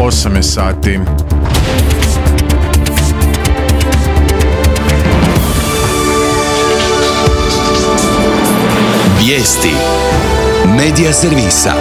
8 je sati. Vijesti Medija servisa.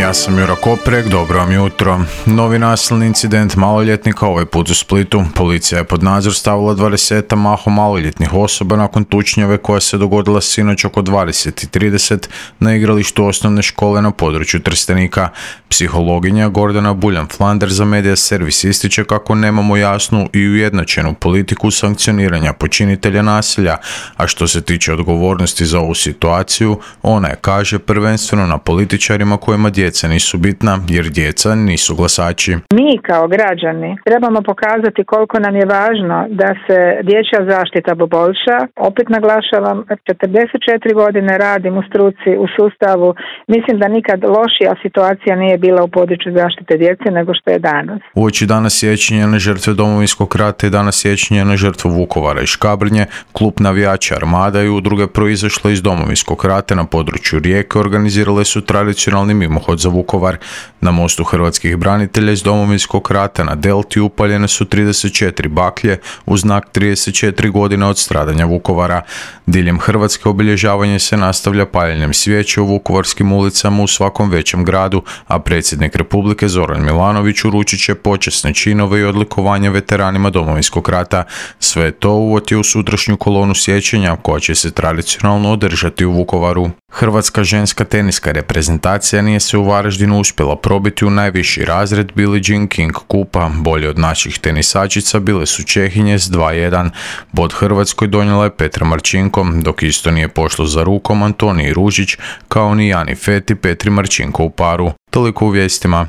Ja sam Jura Koprek, dobro vam jutro. Novi nasilni incident maloljetnika, ovaj put u Splitu. Policija je pod nadzor stavila 20 mahom maloljetnih osoba nakon tučnjave koja se dogodila sinoć oko 20:30 na igralištu osnovne škole na području Trstenika. Psihologinja Gordana Buljan-Flander za Medija servis ističe kako nemamo jasnu i ujednačenu politiku sankcioniranja počinitelja nasilja, a što se tiče odgovornosti za ovu situaciju, ona je, kaže, prvenstveno na političarima kojima djeca nisu bitna, jer djeca nisu glasači. Mi kao građani trebamo pokazati koliko nam je važno da se dječja zaštita poboljša. Opet naglašavam, 44 godine radim u struci, u sustavu. Mislim da nikad lošija situacija nije bila u području zaštite djece nego što je danas. Uoči dana sjećanja na žrtve Domovinskog rata i dana sjećanja na žrtvu Vukovara i Škabrnje, klub navijača Armada i udruge proizašle iz Domovinskog rata na području Rijeke organizirale su tradicionalni mimohod za Vukovar. Na mostu hrvatskih branitelja iz Domovinskog rata na Delti upaljene su 34 baklje u znak 34 godine od stradanja Vukovara. Diljem Hrvatske obilježavanje se nastavlja paljenjem svijeće u vukovarskim ulicama u svakom većem gradu, a predsjednik Republike Zoran Milanović uručit će počasne činove i odlikovanje veteranima Domovinskog rata. Sve to uvod je u sutrašnju kolonu sjećanja koja će se tradicionalno održati u Vukovaru. Hrvatska ženska teniska reprezentacija nije se u Varaždinu uspjela probiti u najviši razred Billie Jean King kupa. Bolje od naših tenisačica bile su Čehinje s 2:1. Bod Hrvatskoj donijela je Petra Marčinko, dok isto nije pošlo za rukom Antoniji Ružić, kao ni Jani Feti Petri Marčinko u paru. Toliko u vijestima.